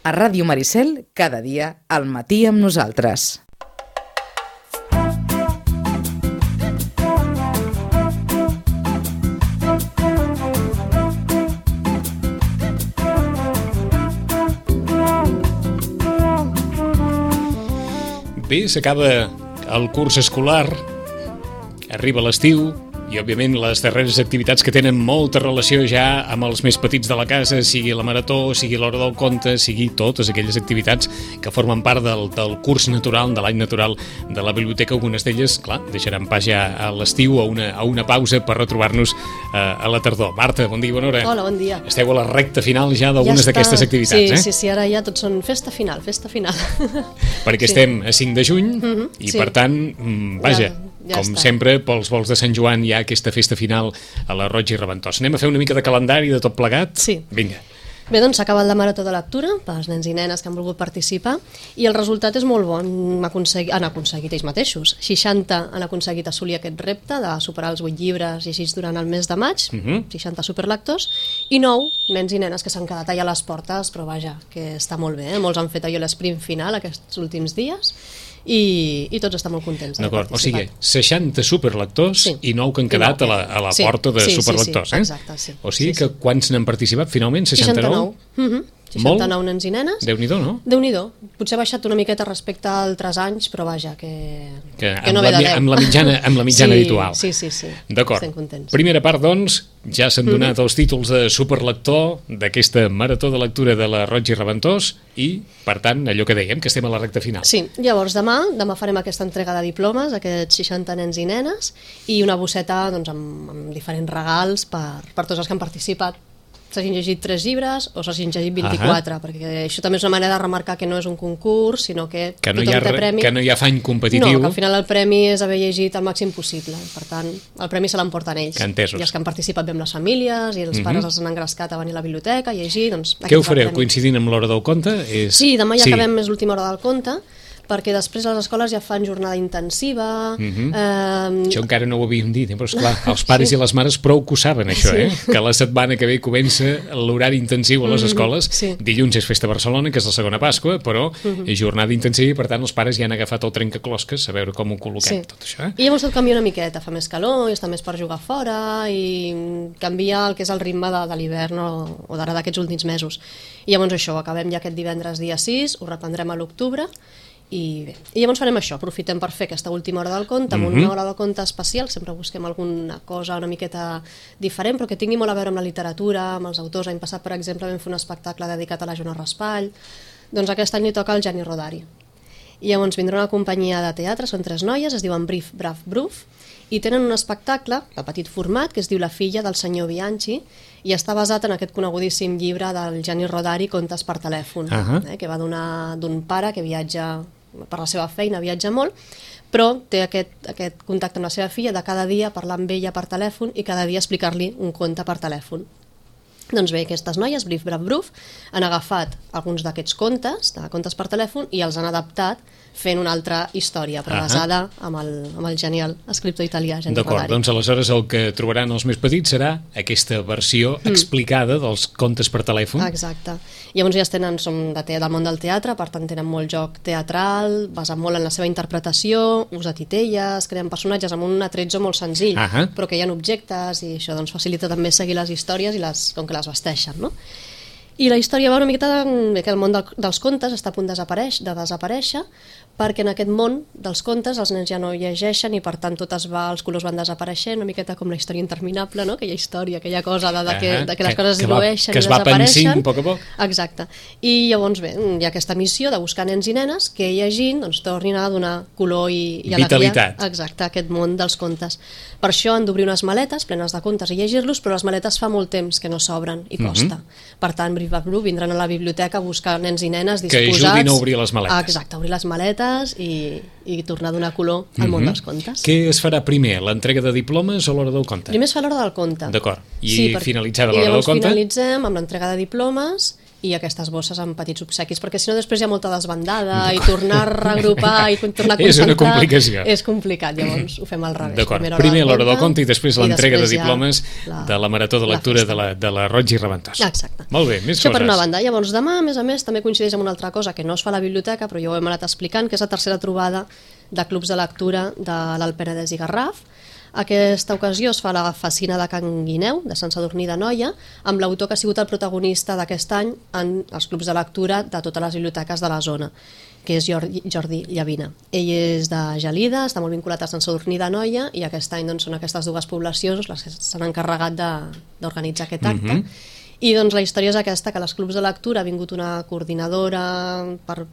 A Ràdio Maricel, cada dia, al matí amb nosaltres. Bé, s'acaba el curs escolar, arriba l'estiu i, òbviament, les darreres activitats que tenen molta relació ja amb els més petits de la casa, sigui la marató, sigui l'hora del conte, sigui totes aquelles activitats que formen part del curs natural, de l'any natural de la biblioteca. Algunes d'elles, clar, deixaran pas ja a l'estiu, a una pausa per retrobar-nos a la tardor. Marta, bon dia i bona hora. Hola, bon dia. Esteu a la recta final ja d'algunes d'aquestes activitats, sí, Sí, ara ja tots són festa final. Perquè estem a 5 de juny i, per tant, vaja, com sempre, pels volts de Sant Joan hi ha aquesta festa final a la Roig i Reventós. Anem a fer una mica de calendari de tot plegat? Sí. Vinga. Bé, doncs s'ha acabat la marató de lectura pels nens i nenes que han volgut participar i el resultat és molt bon. Han aconseguit ells mateixos. 60 han aconseguit assolir aquest repte de superar els 8 llibres llegits durant el mes de maig, 60 superlectors, i 9 nens i nenes que s'han quedat allà a les portes, però vaja, que està molt bé. Molts han fet allò l'esprint final aquests últims dies i tots estan molt contents. D'acord, o sigui, 60 superlectors i 9 que han quedat a la porta de superlectors. Exacte, sí. O sigui que quants n'han participat finalment? 69? 69 nens i nenes. Déu-n'hi-do, no? Déu-n'hi-do. Potser ha baixat una miqueta respecte a altres anys, però vaja, que no ve de 10. Amb la mitjana habitual. Sí. D'acord. Estem contents. Primera part, doncs, ja s'han donat els títols de superlector d'aquesta marató de lectura de la Roig i Reventós i, per tant, allò que dèiem, que estem a la recta final. Sí, llavors demà farem aquesta entrega de diplomes, aquests 60 nens i nenes, i una bosseta doncs, amb diferents regals per tots els que han participat. S'hagin llegit 3 llibres o s'hagin llegit 24, perquè això també és una manera de remarcar que no és un concurs, sinó que no tothom té premi. Que no hi ha afany competitiu. No, que al final el premi és haver llegit el màxim possible. Per tant, el premi se l'emporten ells. Entesos. I els que han participat bé amb les famílies i els pares els han engrescat a venir a la biblioteca a llegir. Doncs, què ho fareu? Coincidint amb l'hora del conte? Sí, demà ja acabem més l'última hora del conte, perquè després a les escoles ja fan jornada intensiva. Això encara no ho havíem dit, però esclar, els pares i les mares prou que ho saben, això, que la setmana que ve comença l'horari intensiu a les escoles. Dilluns és festa a Barcelona, que és la segona Pasqua, però és jornada intensiva i, per tant, els pares ja han agafat el trencaclosques a veure com ho col·loquem, tot això. I llavors tot canvia una miqueta, fa més calor i està més per jugar fora i canvia el que és el ritme de l'hivern o d'ara d'aquests últims mesos. I llavors això, acabem ja aquest divendres dia 6, ho reprendrem a l'octubre. I llavors farem això, aprofitem per fer aquesta última hora del conte, amb una hora del conte especial, sempre busquem alguna cosa una miqueta diferent, però que tingui molt a veure amb la literatura, amb els autors. L'any passat, per exemple, vam fer un espectacle dedicat a la Joana Raspall, doncs aquest any li toca al Gianni Rodari. I llavors vindrà una companyia de teatre, són 3 noies, es diuen Brief, Braf, Bruf, i tenen un espectacle de petit format que es diu La filla del senyor Bianchi i està basat en aquest conegudíssim llibre del Gianni Rodari, Contes per telèfon, que va d'un pare que viatja per la seva feina, viatja molt, però té aquest contacte amb la seva filla de cada dia parlar amb ella per telèfon i cada dia explicar-li un conte per telèfon. Doncs bé, aquestes noies, Brief, Braf, Bruf, han agafat alguns d'aquests contes, de contes per telèfon, i els han adaptat fent una altra història, però basada amb el genial escriptor italià, Gianni Rodari. D'acord, doncs aleshores el que trobaran els més petits serà aquesta versió explicada dels contes per telèfon. Exacte. Llavors ja som del món del teatre, per tant tenen molt joc teatral, basat molt en la seva interpretació, ús de titelles, creen personatges amb un atrezzo molt senzill, però que hi ha objectes i això doncs, facilita també seguir les històries i com que les vesteixen, no? I la història va una miqueta que el món dels contes està a punt de desaparèixer, perquè en aquest món dels contes els nens ja no llegeixen i per tant els colors van desapareixent, una miqueta com la història interminable, no? Aquella història, aquella cosa que les coses es dilueixen i desapareixen. Que es va pensint a poc a poc. Exacte. I llavors bé, hi ha aquesta missió de buscar nens i nenes que llegint tornin a donar color i alegria. Vitalitat. Exacte, a aquest món dels contes. Per això han d'obrir unes maletes plenes de contes i llegir-los, però les maletes fa molt temps que no s'obren i costa. Per tant, vindran a la biblioteca a buscar nens i nenes disposats... Que ajudin a obrir les maletes. Exacte, obrir les maletes i tornar a donar color al món dels contes. Què es farà primer, l'entrega de diplomes o l'hora del conte? Primer es fa l'hora del conte. D'acord, i finalitzada l'hora del conte? I llavors finalitzem amb l'entrega de diplomes i aquestes bosses amb petits obsequis, perquè si no després hi ha molta desbandada i tornar a reagrupar i tornar a concentrar... És una complicació. És complicat, llavors ho fem al revés. D'acord, primer l'hora del conte i després l'entrega de diplomes de la Marató de Lectura de la Roig i Reventós. Exacte. Molt bé, més Això coses. per una banda. Llavors demà, a més, també coincideix amb una altra cosa que no es fa a la biblioteca, però ja ho hem anat explicant, que és la tercera trobada de clubs de lectura de l'Alt Penedès i Garraf. Aquesta ocasió es fa a la Facina de Can Guineu, de Sant Sadurní d'Anoia, amb l'autor que ha sigut el protagonista d'aquest any en els clubs de lectura de totes les biblioteques de la zona, que és Jordi Llavina. Ell és de Gelida, està molt vinculat a Sant Sadurní d'Anoia i aquest any doncs, són aquestes dues poblacions les que s'han encarregat d'organitzar aquest acte. I doncs la història és aquesta, que a les clubs de lectura ha vingut una coordinadora per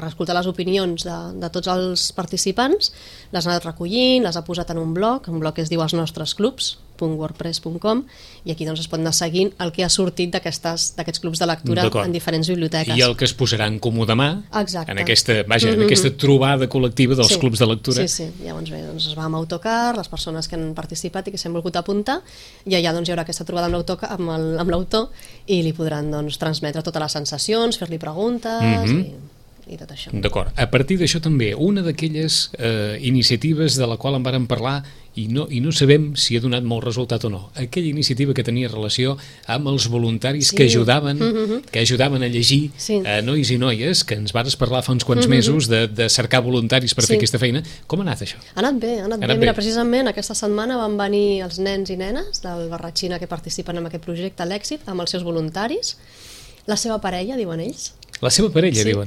escoltar les opinions de tots els participants, les ha anat recollint, les ha posat en un blog que es diu elsnostresclubs.wordpress.com, i aquí doncs es pot anar seguint el que ha sortit d'aquests clubs de lectura en diferents biblioteques. I el que es posarà en comú demà, exacte, en aquesta trobada col·lectiva dels clubs de lectura. Sí. Llavors bé, doncs es va amb autocar, les persones que han participat i que s'han volgut apuntar, i allà doncs hi haurà aquesta trobada amb l'autor i li podran doncs, transmetre totes les sensacions, fer-li preguntes i tot això. D'acord. A partir d'això també, una d'aquelles iniciatives de la qual en vàrem parlar i no sabem si ha donat molt resultat o no. Aquella iniciativa que tenia relació amb els voluntaris que ajudaven a llegir nois i noies, que ens vares parlar fa uns quants mesos de cercar voluntaris per fer aquesta feina. Com ha anat això? Ha anat bé. Mira, precisament aquesta setmana van venir els nens i nenes del Barratxina que participen en aquest projecte, l'Èxit, amb els seus voluntaris. La seva parella, diuen ells. La seva parella, diuen.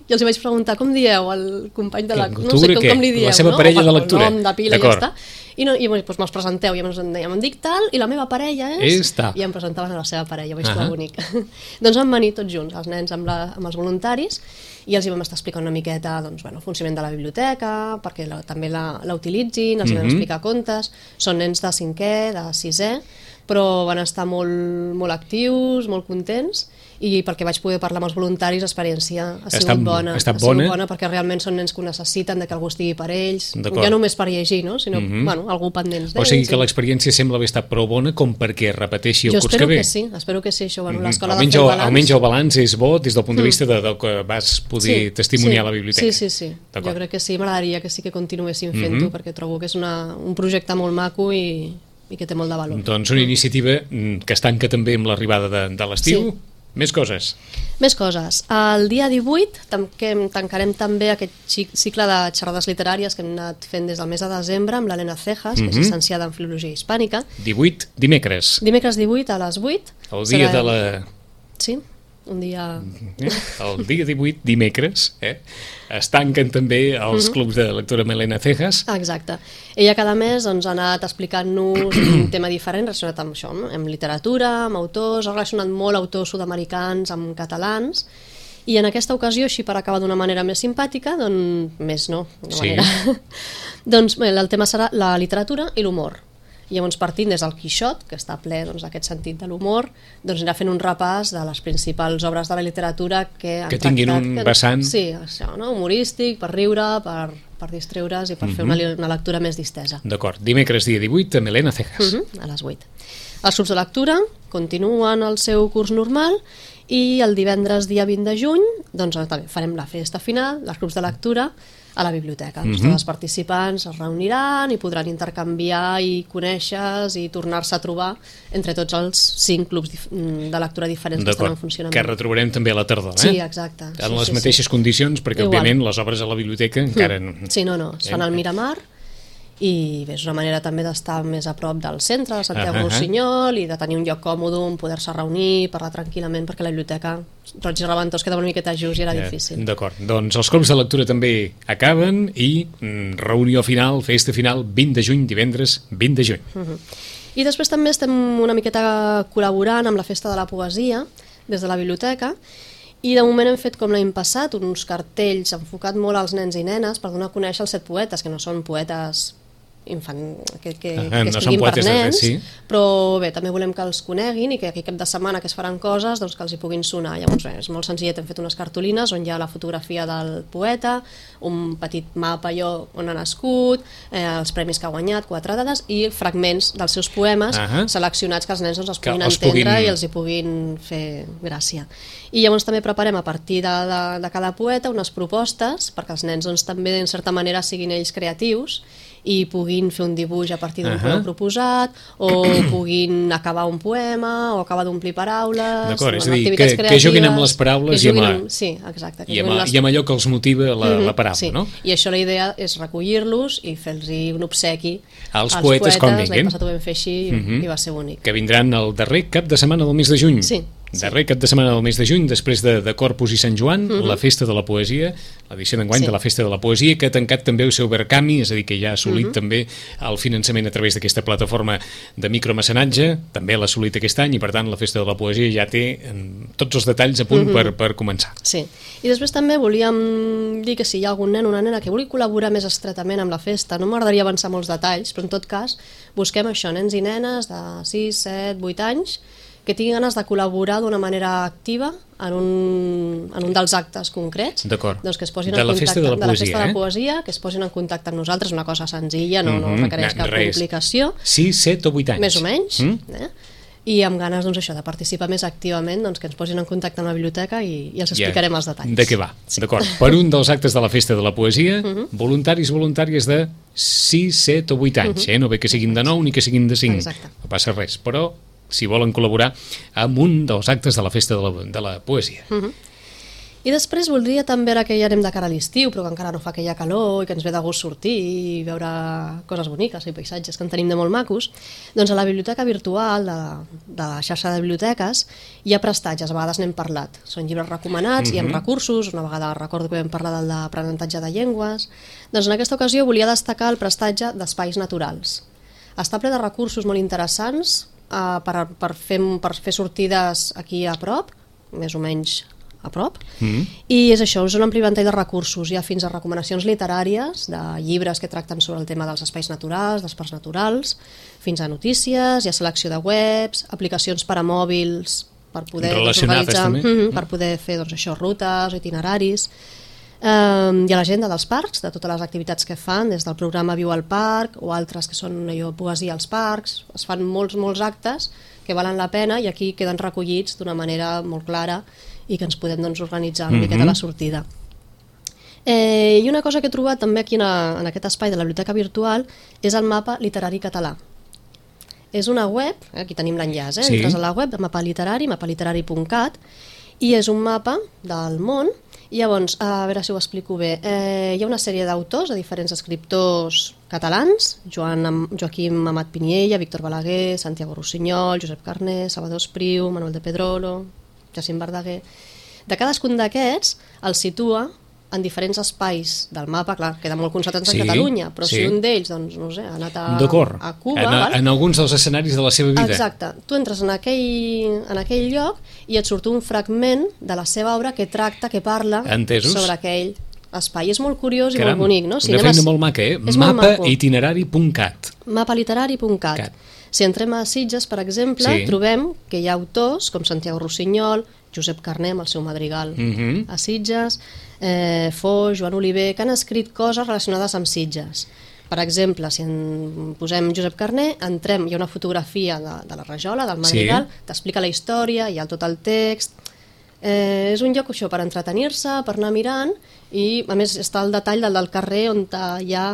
I els vaig preguntar, com dieu el company de lectura? No sé com li dieu. La seva parella de lectura. El nom de pila i ja està. I doncs me'ls presenteu, i em dic tal, i la meva parella és... I em presentaven a la seva parella, vaig trobar bonic. Doncs van venir tots junts, els nens amb els voluntaris, i els hi vam estar explicant una miqueta el funcionament de la biblioteca, perquè també la utilitzin, els hi vam explicar contes. Són nens de 5è, de 6è, però van estar molt actius, molt contents, i perquè vaig poder parlar amb els voluntaris l'experiència ha sigut bona. Ha sigut bona perquè realment són nens que ho necessiten, que algú estigui per ells, ja només per llegir, sinó algú pendents d'ells. O sigui que l'experiència sembla haver estat prou bona com perquè repeteixi el curs que ve. Jo espero que sí, això. L'escola de fer el balanç... Almenys el balanç és bo des del punt de vista del que vas poder testimoniar a la biblioteca. Sí. Jo crec que sí, m'agradaria que sí que continuéssim fent-ho, perquè trobo que és un projecte molt maco i que té molt de valor. Doncs una iniciativa que es tanca també amb l'arribada de l'estiu. Més coses. El dia 18 tancarem també aquest cicle de xerrades literàries que hem anat fent des del mes de desembre amb l'Helena Cejas, que és llicenciada en Filologia Hispànica. 18, dimecres. Dimecres 18 a les 8. El dia de la... Sí, un dia... El dia 18, dimecres, es tanquen també els clubs de lectura amb Helena Cejas. Exacte. Ella cada mes ha anat explicant-nos un tema diferent relacionat amb això, amb literatura, amb autors, ha relacionat molt autors sud-americans amb catalans, i en aquesta ocasió, així per acabar d'una manera més simpàtica, doncs el tema serà la literatura i l'humor. I llavors partint des del Quixot, que està ple d'aquest sentit de l'humor, doncs anirà fent un repàs de les principals obres de la literatura que tinguin un vessant humorístic, per riure, per distreure's i per fer una lectura més distesa. D'acord, dimecres dia 18 amb Helena Cejas. A les 8. Els clubs de lectura continuen el seu curs normal i el divendres dia 20 de juny doncs també farem la festa final dels clubs de lectura a la biblioteca. Tots els participants es reuniran i podran intercanviar i conèixer i tornar-se a trobar entre tots els 5 clubs de lectura diferents que estan en funcionament. Que retrobarem també a la tardor, Sí, exacte. En les mateixes condicions, perquè òbviament les obres a la biblioteca encara... Sí, es fan al Miramar, i és una manera també d'estar més a prop del centre de Santiago Rossinyol i de tenir un lloc còmode on poder-se reunir, parlar tranquil·lament, perquè la biblioteca Roig i Reventós quedava una miqueta just i era difícil. D'acord, doncs els clubs de lectura també acaben i reunió final, festa final, 20 de juny, divendres 20 de juny. I després també estem una miqueta col·laborant amb la Festa de la Poesia des de la biblioteca, i de moment hem fet com l'any passat uns cartells enfocat molt als nens i nenes per donar a conèixer els 7 poetes, que no són poetes que no són escriguin per poetes de res, nens, sí. però bé, també volem que els coneguin i que aquí cap de setmana que es faran coses doncs que els hi puguin sonar. Llavors és molt senzillet, hem fet unes cartolines on hi ha la fotografia del poeta, un petit mapa allò on ha nascut, els premis que ha guanyat, 4 dades i fragments dels seus poemes seleccionats que els nens doncs, els puguin entendre i els hi puguin fer gràcia. I llavors també preparem a partir de cada poeta unes propostes perquè els nens doncs, també en certa manera siguin ells creatius i puguin fer un dibuix a partir d'un color proposat o puguin acabar un poema o acabar d'omplir paraules. D'acord, és a dir, que juguin amb les paraules sí, exacte, i amb allò que els motiva la paraula, sí. no? I això la idea és recollir-los i fer-los un obsequi als poetes quan vinguin. L'any passat ho vam fer així i va ser bonic. Que vindran el darrer cap de setmana del mes de juny. Sí. Darrer cap de setmana del mes de juny, després de Corpus i Sant Joan, la Festa de la Poesia, l'edició d'enguany de la Festa de la Poesia, que ha tancat també el seu Verkami, és a dir, que ja ha assolit també el finançament a través d'aquesta plataforma de micromecenatge, també l'ha assolit aquest any, i per tant la Festa de la Poesia ja té tots els detalls a punt per començar. Sí, i després també volíem dir que si hi ha algun nen o una nena que vulgui col·laborar més estretament amb la festa, no m'agradaria avançar molts detalls, però en tot cas busquem això, nens i nenes de 6, 7, 8 anys, que tinguin ganes de col·laborar d'una manera activa en un dels actes concrets, doncs que es posin en contacte de la Festa de la Poesia, que es posin en contacte amb nosaltres, una cosa senzilla, no requereix cap complicació. 6, 7 o 8 anys. Més o menys, i amb ganes doncs, això de participar més activament, doncs, que ens posin en contacte amb la biblioteca i els explicarem els detalls. De què va, d'acord. Per un dels actes de la Festa de la Poesia, voluntaris i voluntàries de 6, 7 o 8 anys, no ve que siguin de 9 ni que siguin de 5, no passa res, però si volen col·laborar amb un dels actes de la Festa de la Poesia. I després voldria també, ara que ja anem de cara a l'estiu, però que encara no fa aquella calor i que ens ve de gust sortir i veure coses boniques i paisatges que en tenim de molt macos, doncs a la biblioteca virtual de la xarxa de biblioteques hi ha prestatges, a vegades n'hem parlat. Són llibres recomanats i amb recursos, una vegada recordo que vam parlar del d'aprenentatge de llengües. Doncs en aquesta ocasió volia destacar el prestatge d'espais naturals. Està ple de recursos molt interessants per fer sortides aquí a prop, més o menys a prop, i és això, és un ampli ventall de recursos, hi ha fins a recomanacions literàries de llibres que tracten sobre el tema dels espais naturals, dels parcs naturals, fins a notícies, hi ha selecció de webs, aplicacions per a mòbils per poder organitzar, per poder fer doncs, això, rutes, itineraris. Hi ha l'agenda dels parcs, de totes les activitats que fan, des del programa Viu al Parc o altres que són poesia als parcs. Es fan molts actes que valen la pena i aquí queden recollits d'una manera molt clara i que ens podem doncs, organitzar una miqueta la sortida. I una cosa que he trobat també aquí en aquest espai de la biblioteca virtual és el mapa literari català. És una web, aquí tenim l'enllaç, entres a la web de mapaliterari.cat i és un mapa del món. I llavors, a veure si ho explico bé, hi ha una sèrie d'autors, de diferents escriptors catalans, Joaquim Amat Piniella, Víctor Balaguer, Santiago Rossinyol, Josep Carné, Salvador Espriu, Manuel de Pedrolo, Jacint Verdaguer. De cadascun d'aquests el situa en diferents espais del mapa, clar, queda molt concentrat en Catalunya, però si un d'ells, doncs, no sé, ha anat a Cuba... En alguns dels escenaris de la seva vida. Exacte. Tu entres en aquell lloc i et surt un fragment de la seva obra que tracta, que parla sobre aquell espai. És molt curiós i molt bonic, no? Una feina molt maca, Mapaliterari.cat. Mapaliterari.cat. Si entrem a Sitges, per exemple, trobem que hi ha autors com Santiago Rossinyol, Josep Carné amb el seu madrigal a Sitges, Foix, Joan Oliver, que han escrit coses relacionades amb Sitges. Per exemple, si en posem Josep Carné, entrem, hi ha una fotografia de la rajola, del madrigal, t'explica la història, hi ha tot el text. És un lloc això per entretenir-se, per anar mirant, i a més està el detall del carrer on hi ha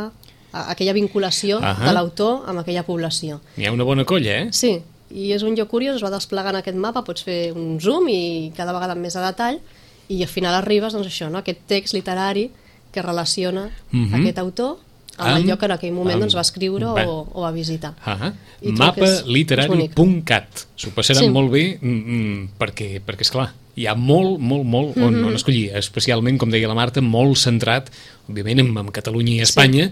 aquella vinculació de l'autor amb aquella població. Hi ha una bona colla, Sí, i és un lloc curiós, es va desplegant aquest mapa, pots fer un zoom i cada vegada amb més a detall, i al final arribes, doncs això, aquest text literari que relaciona aquest autor amb el lloc que en aquell moment va escriure o va visitar. Mapaliterari.cat. S'ho passaran molt bé perquè, esclar, hi ha molt on escollir, especialment, com deia la Marta, molt centrat, òbviament, en Catalunya i Espanya,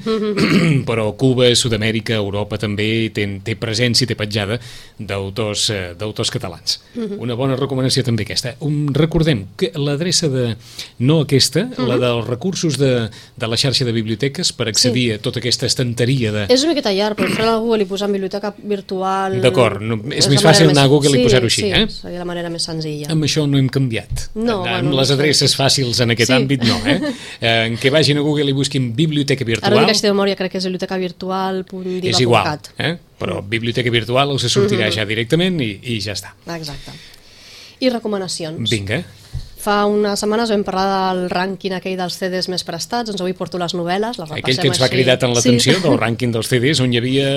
però Cuba, Sud-amèrica, Europa també té presència i té petjada d'autors catalans. Una bona recomanació també aquesta. Recordem que l'adreça no aquesta, la dels recursos de la xarxa de biblioteques per accedir a tota aquesta estanteria de... És una miqueta llarg, però entrar a Google i posar en biblioteca virtual... D'acord, és més fàcil anar a Google i posar-ho així, eh? Sí, seria la manera més senzilla. Amb això no hem canviat. No, amb les adreces fàcils en aquest àmbit, no, eh? En què vagin a Google i busquin biblioteca virtual... Ara dic que de memòria, crec que és bibliotecavirtual.diva.cat. És igual, però biblioteca virtual us sortirà ja directament i ja està. Exacte. I recomanacions. Vinga. Fa unes setmanes vam parlar del rànquing aquell dels CDs més prestats, doncs avui porto les novel·les, les repassem aquell que ens va cridar tant l'atenció del rànquing dels CDs, on hi havia,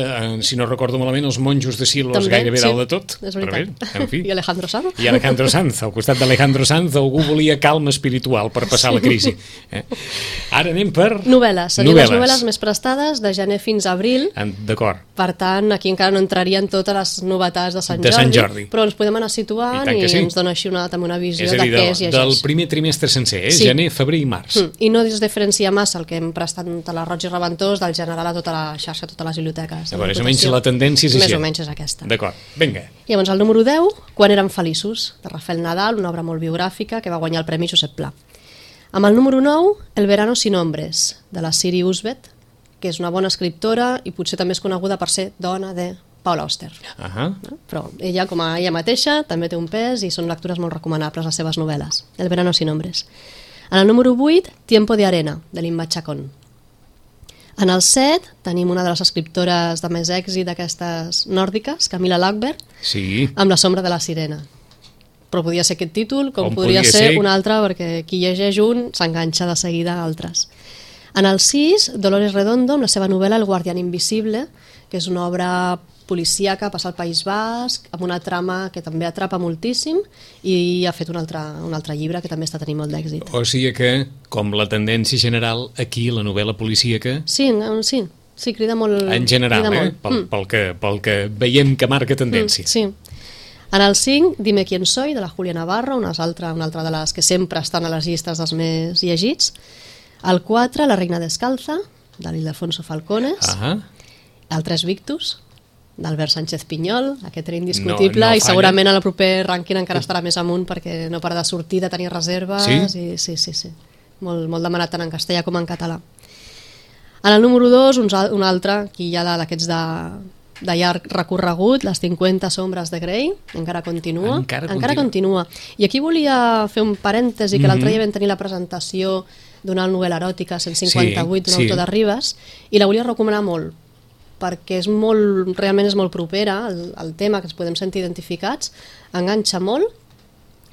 si no recordo malament, els monjos de Silos també, gairebé dalt de tot. És veritat. Bé, en fi. I Alejandro Sanz. I Alejandro Sanz. Al costat d'Alejandro Sanz algú volia calma espiritual per passar la crisi. Ara anem per... Novel·les. Serien les novel·les més prestades de gener fins a abril. D'acord. Per tant, aquí encara no entrarien totes les novetats de Sant Jordi. Però ens podem anar situant i ens dona així també una visió de què es llegeix. Del primer trimestre sencer, gener, febrer i març. I no es diferencia massa el que hem prestat a la Roig i Reventós del general a tota la xarxa, a totes les biblioteques. Més o menys la tendència és així. Més o menys és aquesta. D'acord, vinga. Llavors, el número 10, Quan érem feliços, de Rafael Nadal, una obra molt biogràfica que va guanyar el Premi Josep Pla. Amb el número 9, El verano sin hombres, de la Siri Usbet, que és una bona escriptora i potser també és coneguda per ser dona de Paula Auster. Però ella, com a ella mateixa, també té un pes i són lectures molt recomanables les seves novel·les. El verano sin hombres. En el número 8, Tiempo de arena, de Inma Chacón. En el 7 tenim una de les escriptores de més èxit d'aquestes nòrdiques, Camilla Läckberg, amb La sombra de la sirena. Però podia ser aquest títol, com podria ser un altre, perquè qui llegeix un s'enganxa de seguida a altres. En el 6, Dolores Redondo, amb la seva novel·la El guardián invisible, que és una obra policíaca, passa al País Basc, amb una trama que també atrapa moltíssim, i ha fet un altre llibre que també està tenint molt d'èxit. O sigui que, com la tendència general, aquí la novel·la policíaca... Sí, crida molt... En general, pel que veiem que marca tendència. Sí. En el 5, Dime quién soy, de la Julia Navarro, una altra de les que sempre estan a les llistes dels més llegits. El 4, La reina descalza, de l'Ildefonso Falcones. El 3, Victus, d'Albert Sánchez Pinyol, aquest era indiscutible, i segurament en el proper rànquing encara estarà més amunt perquè no para de sortir, de tenir reserves. Sí. Molt demanat tant en castellà com en català. En el número 2, un altre, aquí hi ha d'aquests de llarg recorregut, Les 50 sombres de Grey, encara continua. I aquí volia fer un parèntesi, que l'altre dia vam tenir la presentació d'una novel·la eròtica, 158, d'un autor de Ribes, i la volia recomanar molt, perquè realment és molt propera al tema, que ens podem sentir identificats, enganxa molt,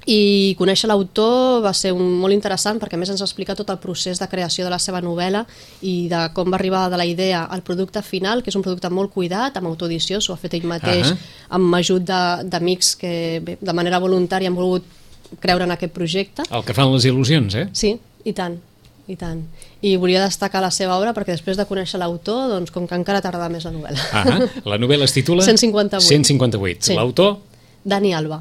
i conèixer l'autor va ser molt interessant, perquè a més ens explica tot el procés de creació de la seva novel·la i de com va arribar de la idea al producte final, que és un producte molt cuidat, amb autoedició, s'ho ha fet ell mateix, amb ajut d'amics que de manera voluntària han volgut creure en aquest projecte. El que fan les il·lusions, eh? Sí, i tant. I volia destacar la seva obra perquè després de conèixer l'autor, doncs com que encara t'agrada més la novel·la. La novel·la es titula 158. L'autor? Dani Alba.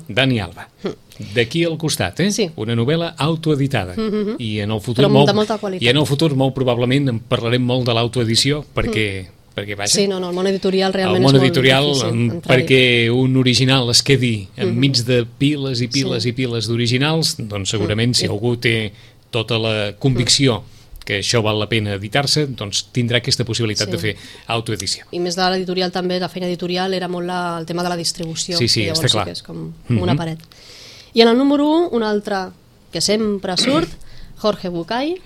D'aquí al costat, una novel·la autoeditada. I en el futur però de molta qualitat. I en el futur molt probablement en parlarem molt de l'autoedició perquè vaja... Sí, el món editorial realment és molt difícil. Perquè un original es quedi enmig de piles i piles i piles d'originals, doncs segurament si algú té tota la convicció que això val la pena editar-se, doncs tindrà aquesta possibilitat de fer autoedició. I més de l'editorial també, la feina editorial era molt el tema de la distribució. Sí, està clar. Que és com una paret. I en el número 1, un altre que sempre surt, Jorge Bucay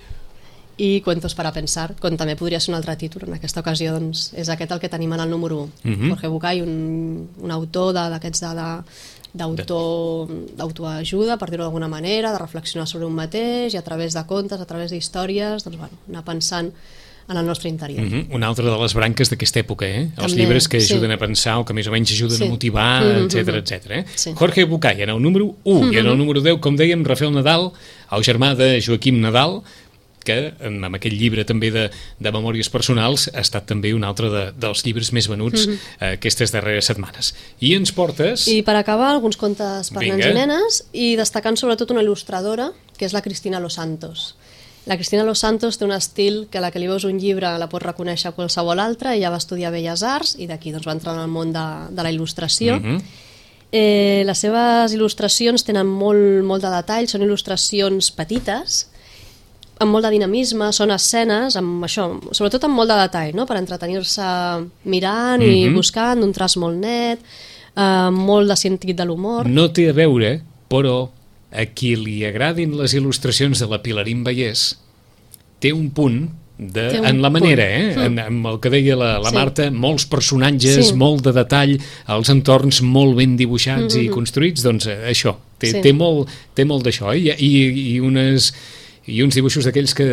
i Cuentos para pensar, com també podria ser un altre títol. En aquesta ocasió doncs, és aquest el que tenim en el número 1. Jorge Bucay, un autor d'aquests d'autoajuda, per dir-ho d'alguna manera, de reflexionar sobre un mateix i a través de contes, a través d'històries, doncs, anar pensant en el nostre interior. Una altra de les branques d'aquesta època, els llibres que ajuden a pensar o que més o menys ajuden a motivar, etc. Jorge Bucay, en el número 1, i en el número 10, com dèiem, Rafael Nadal, el germà de Joaquim Nadal, que amb aquest llibre també de memòries personals ha estat també un altre dels llibres més venuts aquestes darreres setmanes. I ens portes... I per acabar, alguns contes per Vinga. nens i nenes, i destacant sobretot una il·lustradora, que és la Cristina Los Santos. La Cristina Los Santos té un estil que a la que li veus un llibre la pots reconèixer qualsevol altre. Ella va estudiar Belles Arts i d'aquí doncs, va entrar en el món de la il·lustració. Les seves il·lustracions tenen molt de detall, són il·lustracions petites, amb molt de dinamisme, són escenes, amb això, sobretot amb molt de detall, no? Per entretenir-se mirant i buscant, d'un traç molt net, molt de sentit de l'humor. No té a veure, però a qui li agradin les il·lustracions de la Pilarín Vallès té un punt en la manera, amb el que deia la Marta, molts personatges, molt de detall, els entorns molt ben dibuixats i construïts, doncs això, té molt d'això, i uns dibuixos d'aquells que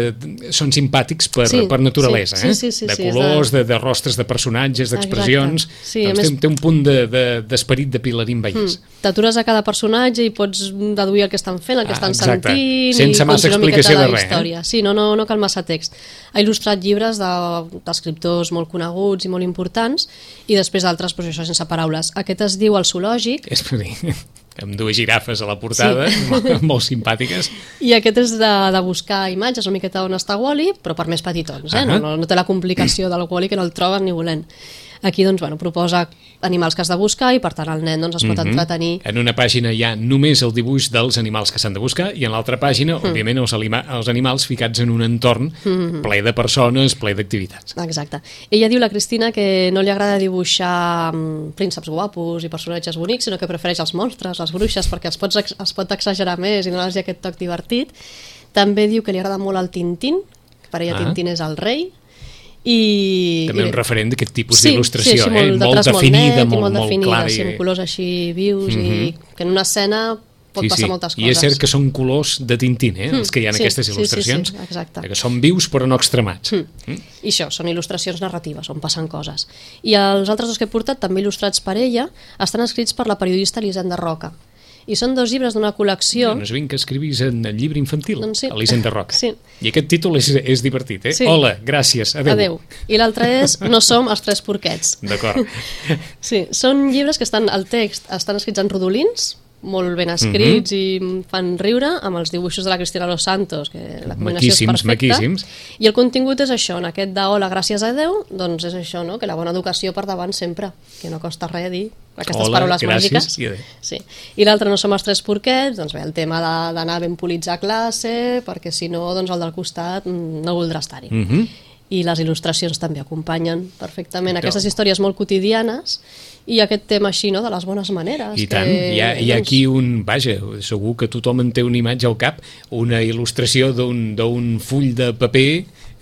són simpàtics per naturalesa, de colors, de rostres de personatges, d'expressions, doncs té un punt d'esperit de Pilarín Vallès. T'atures a cada personatge i pots deduir el que estan fent, el que estan sentint, sense massa explicació de res. Sí, no cal massa text. Ha il·lustrat llibres d'escriptors molt coneguts i molt importants, i després d'altres, doncs això, sense paraules. Aquest es diu El Zoològic. És per dir... amb dues girafes a la portada, molt simpàtiques. I aquest és de buscar imatges, una miqueta on està Wall-E, però per més petitons, no té la complicació del Wall-E que no el troben ni volent. Aquí doncs, proposa animals que has de buscar i per tant el nen doncs, es pot entretenir. En una pàgina hi ha només el dibuix dels animals que s'han de buscar i en l'altra pàgina, òbviament, els animals ficats en un entorn ple de persones, ple d'activitats. Exacte. Ella diu, la Cristina, que no li agrada dibuixar prínceps guapos i personatges bonics, sinó que prefereix els monstres, les bruixes, perquè es pot exagerar més i donar-los aquest toc divertit. També diu que li agrada molt el Tintín, que per ella Tintín és el rei. També un referent d'aquest tipus d'il·lustració, molt definida, molt clara. Sí, amb colors així vius i que en una escena pot passar moltes coses. I és cert que són colors de Tintín, els que hi ha en aquestes il·lustracions, que són vius però no extremats. I això, són il·lustracions narratives, on passen coses. I els altres dos que he portat, també il·lustrats per ella, estan escrits per la periodista Elisenda Roca. I són 2 llibres d'una col·lecció... No és ben que escrivis en el llibre infantil, doncs sí. Elisenda Roca. Sí. I aquest títol és divertit, Sí. Hola, gràcies, adeu. I l'altre és No som els 3 porquets. D'acord. Sí, són llibres que el text estan escrits en rodolins, molt ben escrits i fan riure, amb els dibuixos de la Cristina Los Santos, que la combinació és perfecta. Maquíssims. I el contingut és això, en aquest de hola, gràcies a Déu, doncs és això, no? Que la bona educació per davant sempre, que no costa res dir aquestes paraules màgiques. Sí. I l'altre, No som els 3 porquets, doncs bé, el tema d'anar ben polits a classe, perquè si no, doncs el del costat no voldrà estar-hi. I les il·lustracions també acompanyen perfectament aquestes històries molt quotidianes i aquest tema així, no?, de les bones maneres. I tant, hi ha aquí segur que tothom en té una imatge al cap, una il·lustració d'un full de paper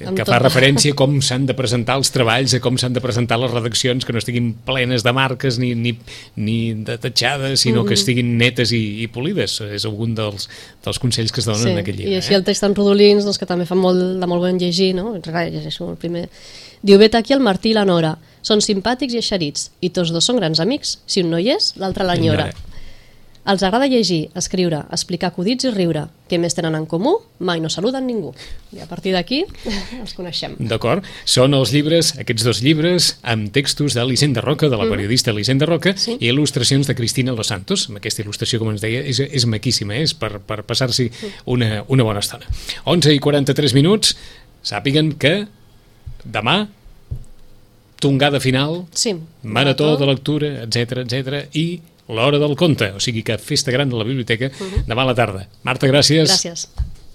que fa referència a com s'han de presentar els treballs, a com s'han de presentar les redaccions, que no estiguin plenes de marques ni de tatxades, sinó que estiguin netes i polides. És algun dels consells que es donen en aquest llibre. I així el text en rodolins, doncs, que també fa molt bon llegir, no? Llegeixo el primer. Diu, vet aquí el Martí i la Nora. Són simpàtics i eixerits, i tots 2 són grans amics. Si un no hi és, l'altre l'enyora. Els agrada llegir, escriure, explicar acudits i riure. Què més tenen en comú? Mai no saluden ningú. I a partir d'aquí els coneixem. D'acord. Són els llibres, aquests 2 llibres, amb textos d'Elisenda Roca, de la periodista Elisenda Roca, i il·lustracions de Cristina Los Santos. Amb aquesta il·lustració, com ens deia, és maquíssima, és per passar-s'hi una bona estona. 11:43, sàpiguen que demà tongada final, marató de lectura, etc, i l'hora del conte, o sigui que festa gran de la biblioteca demà a la tarda. Marta, gràcies. Gràcies.